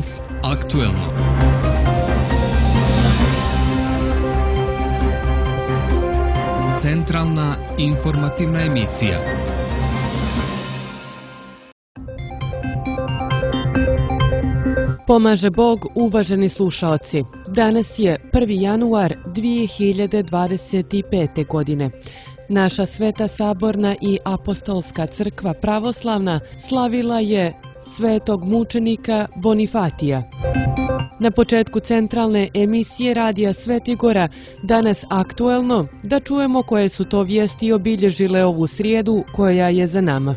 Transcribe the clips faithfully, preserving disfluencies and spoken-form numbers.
Danas aktuelno. Centralna informativna emisija. Pomaže Bog, uvaženi slušaoci. Danas je prvi januar dvije hiljade dvadeset pete. godine. Naša Sveta Saborna i Apostolska crkva pravoslavna slavila je svetog mučenika Bonifatija. Na početku centralne emisije Radija Svetigora danas aktuelno da čujemo koje su to vijesti obilježile ovu srijedu koja je za nama.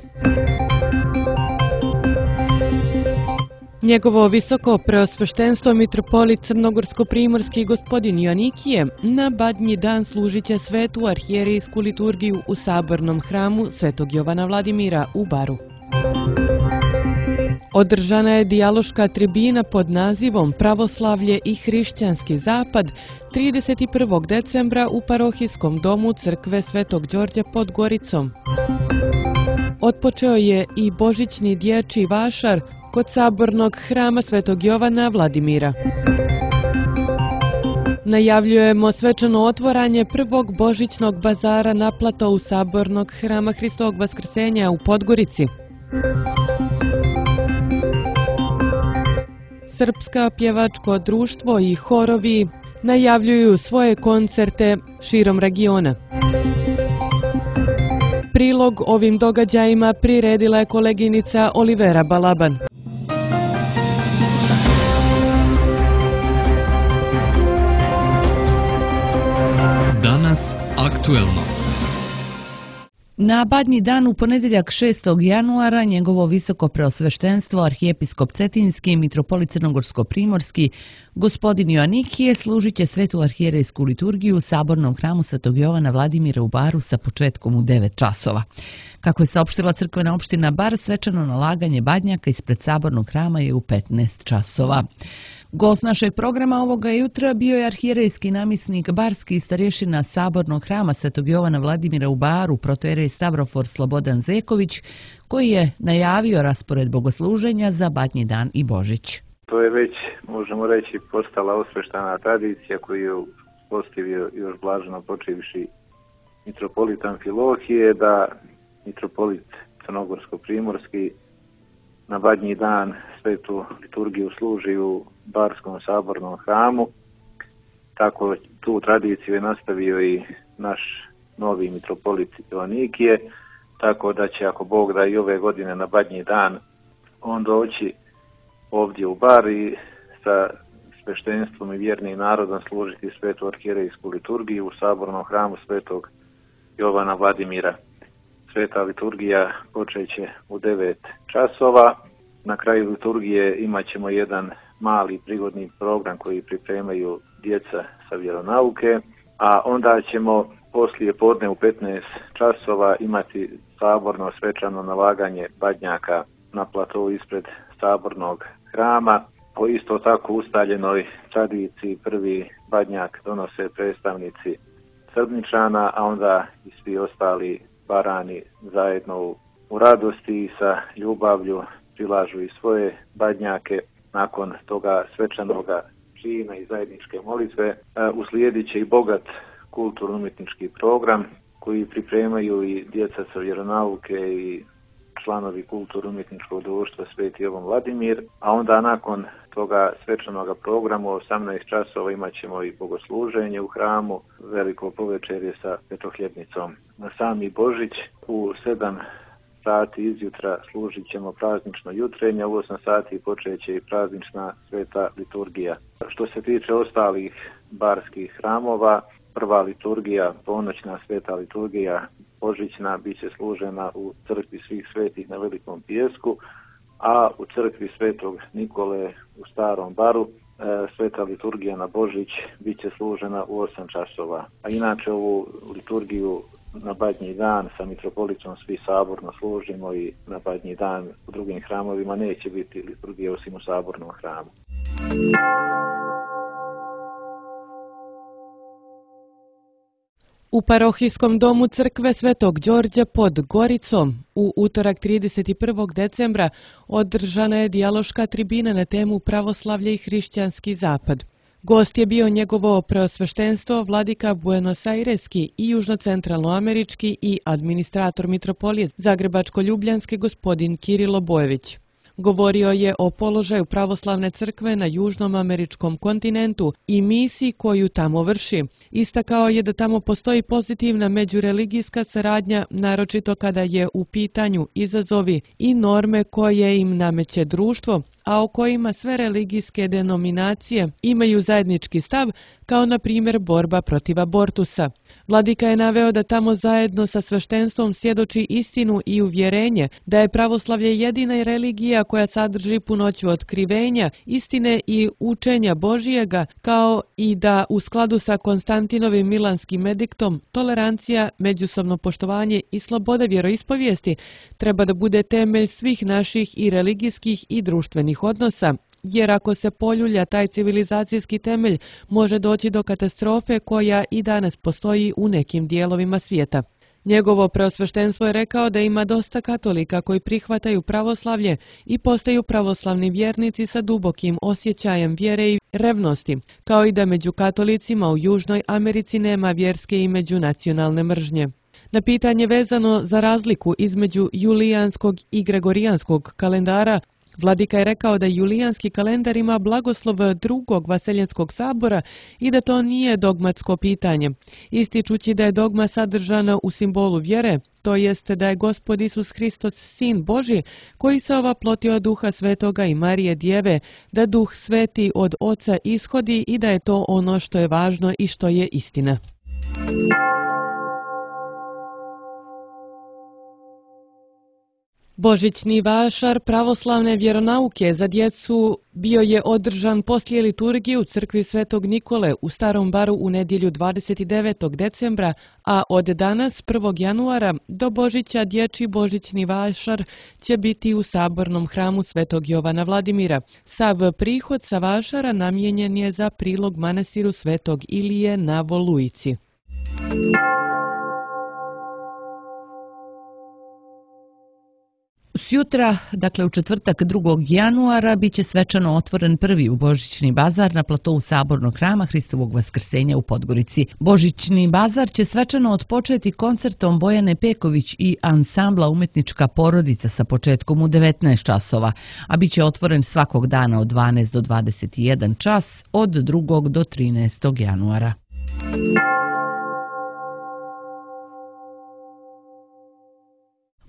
Njegovo visoko preosveštenstvo mitropolit crnogorsko-primorski gospodin Joanikije na Badnji dan služit će svetu arhijerejsku liturgiju u sabornom hramu Svetog Jovana Vladimira u Baru. Održana je dijaloška tribina pod nazivom Pravoslavlje i hrišćanski zapad trideset prvog decembra u parohijskom domu crkve Svetog Đorđa pod Goricom. Otpočeo je i božićni dječji vašar kod sabornog hrama Svetog Jovana Vladimira. Najavljujemo svečano otvaranje prvog božićnog bazara na platou sabornog hrama Hristovog Vaskrsenja u Podgorici. Srpska pjevačko društvo i horovi najavljuju svoje koncerte širom regiona. Prilog ovim događajima priredila je koleginica Olivera Balaban. Danas aktuelno. Na Badnji dan u ponedjeljak šestog januara njegovo visoko preosveštenstvo arhijepiskop Cetinski i mitropolit crnogorsko-primorski gospodin Joanikije služit će svetu arhijerejsku liturgiju u sabornom hramu Svetog Jovana Vladimira u Baru sa početkom u devet časova. Kako je saopštila crkvena opština Bar, svečano nalaganje badnjaka ispred sabornog hrama je u petnaest časova. Gost našeg programa ovoga jutra bio je arhijerejski namjesnik barski starješina sabornog hrama Svetog Jovana Vladimira u Baru, protojerej Stavrofor Slobodan Zeković, koji je najavio raspored bogosluženja za Badnji dan i Božić. To je već, možemo reći, postala osveštana tradicija koju je postavio još blaženo počivši mitropolit Amfilohije, da mitropolit crnogorsko-primorski na Badnji dan svetu liturgiju služi u Barskom sabornom hramu. Tako tu tradiciju je nastavio i naš novi mitropolit Joanikije, tako da će, ako Bog da, i ove godine na Badnji dan on doći ovdje u Bar i sa sveštenstvom i vjernim narodom služiti svetu arhijerejsku liturgiju u sabornom hramu Svetog Jovana Vladimira. Sveta liturgija počeće u devet časova. Na kraju liturgije imat ćemo jedan mali prigodni program koji pripremaju djeca sa vjeronauke, a onda ćemo poslije podne u petnaest časova imati saborno svečano nalaganje badnjaka na platou ispred sabornog hrama. Po isto tako ustaljenoj tradiciji prvi badnjak donose predstavnici Srbničana, a onda i svi ostali Barani zajedno u, u radosti i sa ljubavlju prilažu i svoje badnjake. Nakon toga svečanoga čina i zajedničke molitve uslijedit će i bogat kulturno-umjetnički program koji pripremaju i djeca sa vjeronauke i članovi kulturno-umjetničkog društva Sveti Jovan Vladimir, a onda nakon toga svečanoga programa u osamnaest časova imat ćemo i bogosluženje u hramu, veliko povečerje sa petohljebnicom. Na sami Božić u sedam sati izjutra služit ćemo praznično jutrenje, u osam sati počeće i praznična sveta liturgija. Što se tiče ostalih barskih hramova, prva liturgija, ponoćna sveta liturgija božićna, bit će služena u crkvi svih svetih na Velikom Pijesku, a u crkvi Svetog Nikole u Starom Baru e, sveta liturgija na Božić bit će služena u osam časova. A inače ovu liturgiju na Badnji dan sa mitropolitom svi saborno služimo i na Badnji dan u drugim hramovima neće biti liturgija osim u sabornom hramu. U parohijskom domu crkve Svetog Đorđa pod Goricom u utorak trideset prvog decembra održana je dijaloška tribina na temu pravoslavlje i hrišćanski zapad. Gost je bio njegovo preosveštenstvo vladika Buenos-Aireski i južnocentralnoamerički i administrator mitropolije Zagrebačko-Ljubljanske gospodin Kirilo Bojević. Govorio je o položaju pravoslavne crkve na južnom američkom kontinentu i misiji koju tamo vrši. Istakao je da tamo postoji pozitivna međureligijska saradnja, naročito kada je u pitanju izazovi i norme koje im nameće društvo, a o kojima sve religijske denominacije imaju zajednički stav, kao na primjer borba protiv abortusa. Vladika je naveo da tamo zajedno sa sveštenstvom svjedoči istinu i uvjerenje da je pravoslavlje jedina religija koja sadrži punoću otkrivenja, istine i učenja Božijega, kao i da u skladu sa Konstantinovim milanskim ediktom tolerancija, međusobno poštovanje i sloboda vjeroispovijesti treba da bude temelj svih naših i religijskih i društvenih odnosa, jer ako se poljulja taj civilizacijski temelj može doći do katastrofe koja i danas postoji u nekim dijelovima svijeta. Njegovo preosveštenstvo je rekao da ima dosta katolika koji prihvataju pravoslavlje i postaju pravoslavni vjernici sa dubokim osjećajem vjere i revnosti, kao i da među katolicima u Južnoj Americi nema vjerske i međunacionalne mržnje. Na pitanje vezano za razliku između julijanskog i gregorijanskog kalendara, vladika je rekao da julijanski kalendar ima blagoslov drugog Vaseljenskog sabora i da to nije dogmatsko pitanje, ističući da je dogma sadržana u simbolu vjere, to jest da je Gospod Isus Hristos Sin Božji, koji se ovaplotio od Duha Svetoga i Marije Djeve, da Duh Sveti od Oca ishodi i da je to ono što je važno i što je istina. Božićni vašar pravoslavne vjeronauke za djecu bio je održan poslije liturgije u crkvi Svetog Nikole u Starom Baru u nedjelju dvadeset devetog decembra, a od danas prvog januara do Božića dječji božićni vašar će biti u sabornom hramu Svetog Jovana Vladimira. Sav prihod sa vašara namijenjen je za prilog manastiru Svetog Ilije na Volujici. Sjutra, dakle u četvrtak drugog januara, bit će svečano otvoren prvi božićni bazar na platovu Sabornog hrama Hristovog Vaskrsenja u Podgorici. Božićni bazar će svečano otpočeti koncertom Bojane Peković i ansambla Umetnička porodica sa početkom u devetnaest časova, a bit će otvoren svakog dana od dvanaest do dvadeset jedan čas od drugog do trinaestog januara.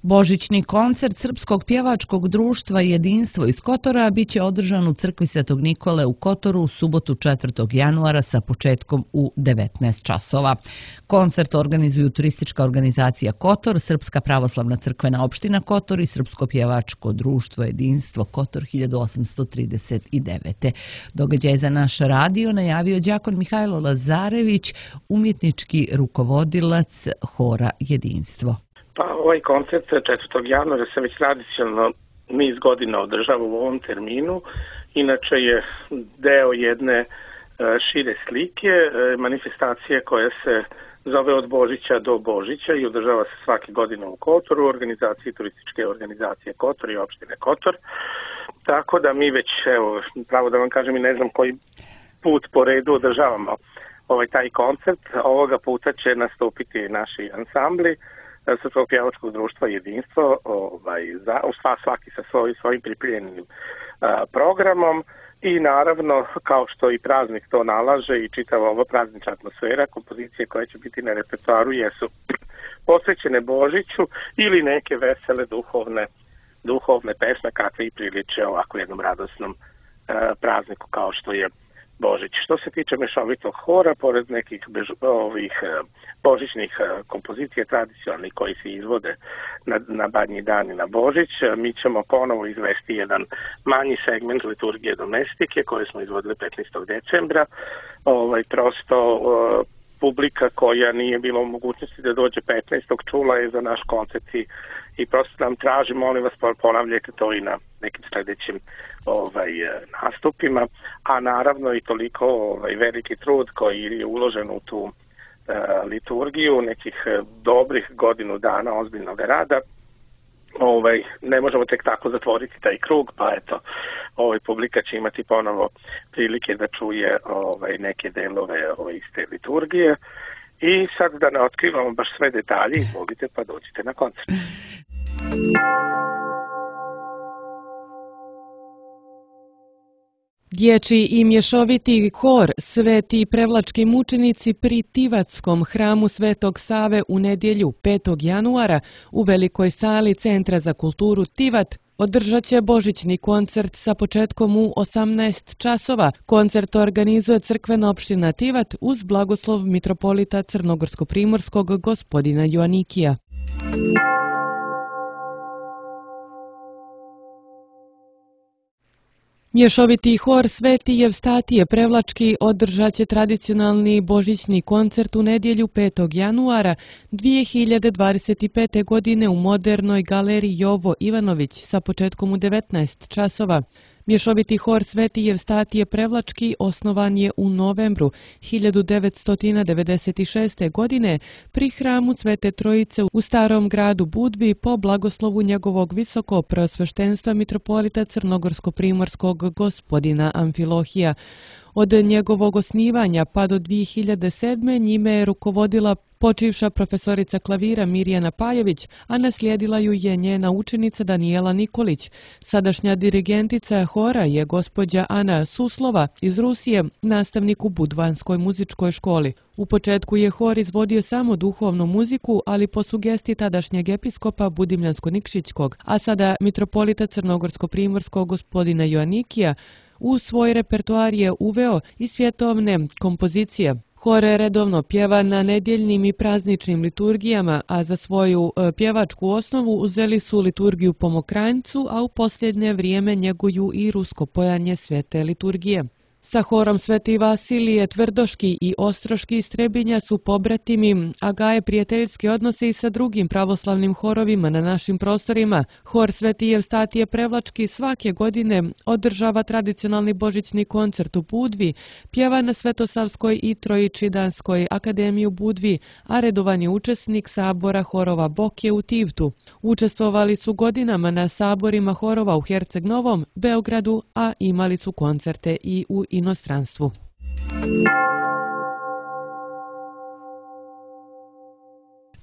Božićni koncert Srpskog pjevačkog društva Jedinstvo iz Kotora biće održan u crkvi Svetog Nikole u Kotoru u subotu četvrtog januara sa početkom u devetnaest časova. Koncert organizuju turistička organizacija Kotor, Srpska pravoslavna crkvena opština Kotor i Srpsko pjevačko društvo Jedinstvo Kotor hiljadu osamsto trideset devete. Događaj za naš radio najavio đakon Mihajlo Lazarević, umjetnički rukovodilac hora Jedinstvo. Pa ovaj koncert četvrtog januara se već tradicionalno niz godina održava u ovom terminu. Inače je deo jedne šire slike, manifestacije koja se zove Od Božića do Božića i održava se svake godine u Kotoru, u organizaciji turističke organizacije Kotor i opštine Kotor. Tako da mi već, evo, pravo da vam kažem, i ne znam koji put po redu održavamo ovaj taj koncert. Ovoga puta će nastupiti naši ansambli Srpskog pjevačkog društva Jedinstvo, ovaj, za, svaki sa svoj, svojim pripremljenim programom i naravno, kao što i praznik to nalaže i čitava ova praznična atmosfera, kompozicije koje će biti na repertoaru jesu posvećene Božiću ili neke vesele duhovne, duhovne pesme kakve i priliče ovako jednom radosnom a, prazniku kao što je Božić. Što se tiče mešovitog hora, pored nekih bež, ovih božićnih kompozicija tradicionalnih koji se izvode na, na Badnji dan i na Božić, mi ćemo ponovo izvesti jedan manji segment liturgije domestike koje smo izvodili petnaestog decembra. Ovaj, prosto uh, publika koja nije bila u mogućnosti da dođe petnaestog čula je za naš koncert i, i prosto nam traži, molim vas, ponavljajte to i na nekim sljedećim ovaj, nastupima, a naravno i toliko ovaj, veliki trud koji je uložen u tu liturgiju, nekih dobrih godinu dana ozbiljnog rada. Ovaj, ne možemo tek tako zatvoriti taj krug, pa eto, ovaj, publika će imati ponovo prilike da čuje ovaj, neke delove ovaj, iz te liturgije. I sad da ne otkrivamo baš sve detalje, izvolite pa dođite na koncert. Dječji i mješoviti hor Sveti Prevlački mučenici pri Tivatskom hramu Svetog Save u nedjelju petog januara u velikoj sali Centra za kulturu Tivat održat će božićni koncert sa početkom u osamnaest časova. Koncert organizuje crkvena opština Tivat uz blagoslov mitropolita Crnogorsko-primorskog gospodina Joanikija. Mješoviti hor Sveti Evstatije Prevlački održat će tradicionalni božićni koncert u nedjelju petog januara dvije hiljade dvadeset pete. godine u modernoj galeriji Jovo Ivanović sa početkom u devetnaest časova. Mješoviti hor Sveti Evstatije Prevlački osnovan je u novembru hiljadu devetsto devedeset šeste. godine pri hramu Svete Trojice u Starom gradu Budvi po blagoslovu njegovog visoko preosveštenstva mitropolita Crnogorsko-primorskog gospodina Amfilohija. Od njegovog osnivanja pa do dvije hiljade sedme. njime je rukovodila počivša profesorica klavira Mirjana Pajević, a naslijedila ju je njena učenica Danijela Nikolić. Sadašnja dirigentica hora je gospođa Ana Suslova iz Rusije, nastavnik u Budvanskoj muzičkoj školi. U početku je hor izvodio samo duhovnu muziku, ali po sugestiji tadašnjeg episkopa Budimljansko-Nikšićkog, a sada mitropolita Crnogorsko-primorskog gospodina Joanikija, u svoj repertoar je uveo i svjetovne kompozicije. Hor redovno pjeva na nedjeljnim i prazničnim liturgijama, a za svoju pjevačku osnovu uzeli su liturgiju po Mokranjcu, a u posljednje vrijeme njeguju i rusko pojanje svete liturgije. Sa horom Sveti Vasilije Tvrdoški i Ostroški iz Trebinja su pobratimi, a gaje prijateljske odnose i sa drugim pravoslavnim horovima na našim prostorima. Hor Sveti Evstatije Prevlački svake godine održava tradicionalni božićni koncert u Budvi, pjeva na Svetosavskoj i Trojičidanskoj akademiji u Budvi, a redovan je učesnik sabora horova Bokje u Tivtu. Učestvovali su godinama na saborima horova u Herceg Novom, Beogradu, a imali su koncerte i u inostranstvu.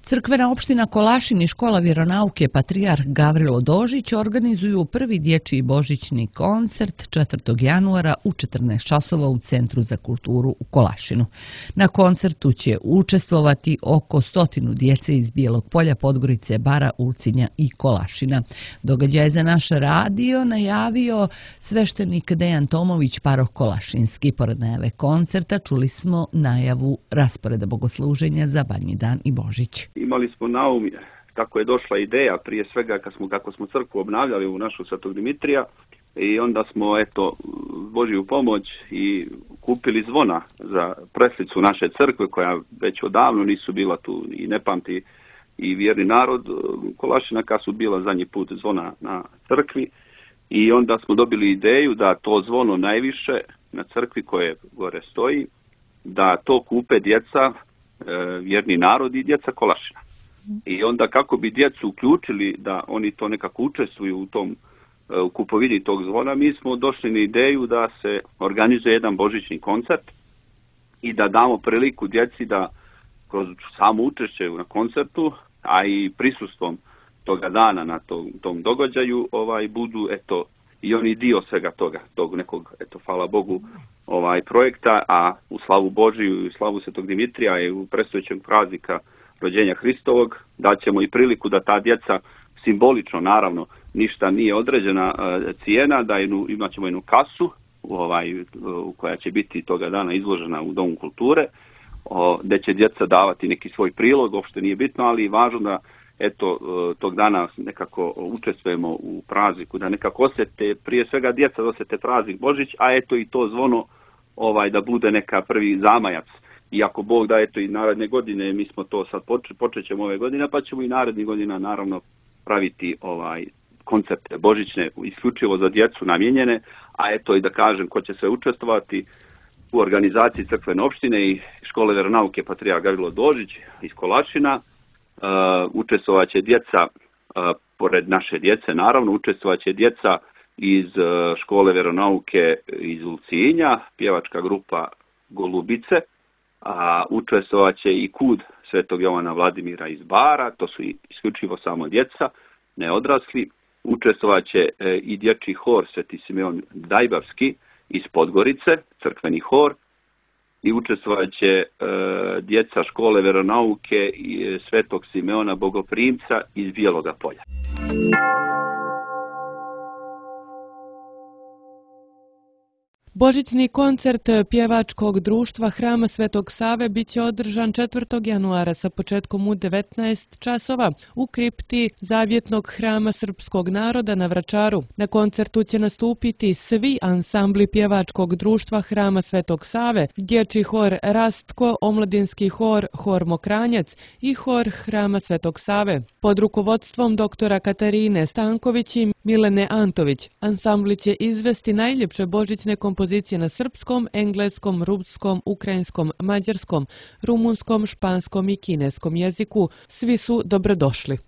Crkvena opština Kolašin i škola vjeronauke Patrijarh Gavrilo Dožić organizuju prvi dječji božićni koncert četvrtog januara u četrnaest časova u Centru za kulturu u Kolašinu. Na koncertu će učestvovati oko stotinu djece iz Bijelog Polja, Podgorice, Bara, Ulcinja i Kolašina. Događaj za naš radio najavio sveštenik Dejan Tomović, paroh Kolašinski. Pored najave koncerta čuli smo najavu rasporeda bogosluženja za Badnji dan i Božić. Imali smo na um kako je došla ideja, prije svega kad smo, kako smo crkvu obnavljali u našu Svetog Dimitrija, i onda smo eto Božju pomoć i kupili zvona za preslicu naše crkve koja već odavno nisu bila tu i ne pamti i vjerni narod Kolašina kad su bila zadnji put zvona na crkvi, i onda smo dobili ideju da to zvono najviše na crkvi koje gore stoji, da to kupe djeca, vjerni narod i djeca Kolašina. I onda kako bi djecu uključili da oni to nekako učestvuju u tom u kupovini tog zvona, mi smo došli na ideju da se organizuje jedan božićni koncert i da damo priliku djeci da kroz samo učešće na koncertu, a i prisustvom toga dana na tom, tom događaju, ovaj budu eto i oni dio svega toga, tog nekog, eto hvala Bogu, ovaj projekta, a u slavu Božiju i slavu Svetog Dimitrija i u predstojećeg praznika rođenja Hristovog daćemo i priliku da ta djeca simbolično, naravno, ništa nije određena uh, cijena, da jednu, imat ćemo jednu kasu ovaj, uh, koja će biti toga dana izložena u Domu kulture, uh, gdje će djeca davati neki svoj prilog, uopšte nije bitno, ali je važno da eto tog dana nekako učestvujemo u prazniku, da nekako osjete, prije svega djeca da osjete praznik Božić, a eto i to zvono ovaj da bude neka prvi zamajac. I ako Bog da, eto i naredne godine, mi smo to sad poč- počet ćemo ove godine, pa ćemo i narednih godina naravno praviti ovaj koncerte božićne isključivo za djecu namijenjene, a eto i da kažem ko će se učestvovati u organizaciji crkvene opštine i škole vjeronauke Patrijarh Gavrilo Dožić iz Kolačina. Učestvovat će djeca, pored naše djece naravno, učestvovat će djeca iz škole vjeronauke iz Ulcinja, pjevačka grupa Golubice, a učestvovat će i Kud Svetog Jovana Vladimira iz Bara, to su isključivo samo djeca, ne odrasli. Učestvovat će i dječji hor Sveti Simeon Dajbavski iz Podgorice, crkveni hor, i učestvovat će e, djeca škole vjeronauke i Svetog Simeona Bogoprimca iz Bijeloga Polja. Božićni koncert pjevačkog društva Hrama Svetog Save biće održan četvrtog januara sa početkom u devetnaest časova u kripti Zavjetnog hrama srpskog naroda na Vračaru. Na koncertu će nastupiti svi ansambli pjevačkog društva Hrama Svetog Save, dječji hor Rastko, omladinski hor Hor Mokranjac i hor Hrama Svetog Save. Pod rukovodstvom doktora Katarine Stanković i Milene Antović, ansambli će izvesti najljepše božićne kompozicije na srpskom, engleskom, ruskom, ukrajinskom, mađarskom, rumunskom, španskom i kineskom jeziku. Svi su dobrodošli.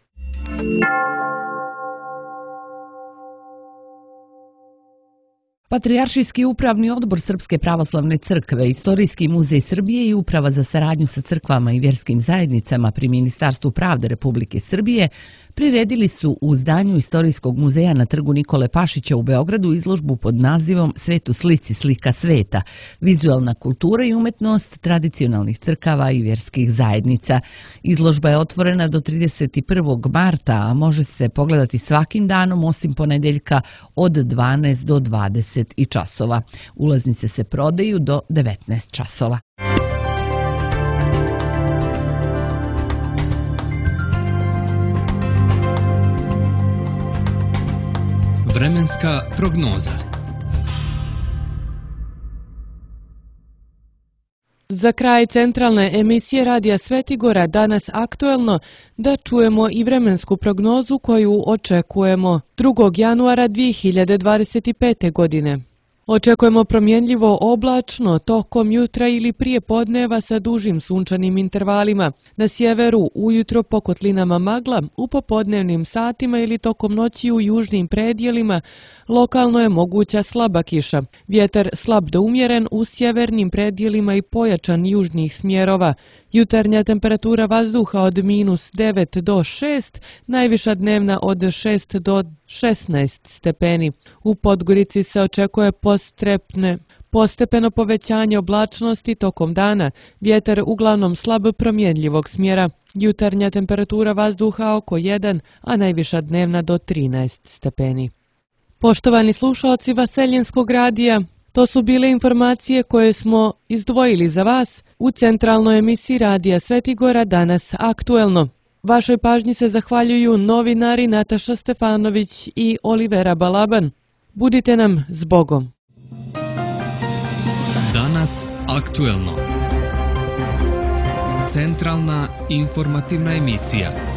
Patrijaršijski upravni odbor Srpske pravoslavne crkve, Istorijski muzej Srbije i Uprava za saradnju sa crkvama i vjerskim zajednicama pri Ministarstvu pravde Republike Srbije priredili su u zdanju Istorijskog muzeja na trgu Nikole Pašića u Beogradu izložbu pod nazivom Svet u slici, slika sveta, vizualna kultura i umetnost tradicionalnih crkava i vjerskih zajednica. Izložba je otvorena do trideset prvog marta, a može se pogledati svakim danom osim ponedjeljka od dvanaest do dvadeset i časova. Ulaznice se prodaju do devetnaest časova. Vremenska prognoza. Za kraj centralne emisije Radija Svetigora danas aktuelno da čujemo i vremensku prognozu koju očekujemo drugog januara dvije hiljade dvadeset pete. godine. Očekujemo promjenljivo oblačno tokom jutra ili prije podneva sa dužim sunčanim intervalima. Na sjeveru ujutro po kotlinama magla, u popodnevnim satima ili tokom noći u južnim predjelima lokalno je moguća slaba kiša. Vjetar slab do umjeren u sjevernim predjelima i pojačan južnih smjerova. Jutarnja temperatura vazduha od minus devet do šest, najviša dnevna od šest do šesnaest stepeni. U Podgorici se očekuje postrepne, postepeno povećanje oblačnosti tokom dana, vjetar uglavnom slab promjenljivog smjera. Jutarnja temperatura vazduha oko jedan, a najviša dnevna do trinaest stepeni. Poštovani slušalci Vaseljenskog radija, to su bile informacije koje smo izdvojili za vas u centralnoj emisiji Radija Svetigora danas aktuelno. Vašoj pažnji se zahvaljuju novinari Nataša Stefanović i Olivera Balaban. Budite nam s Bogom. Danas aktuelno. Centralna informativna emisija.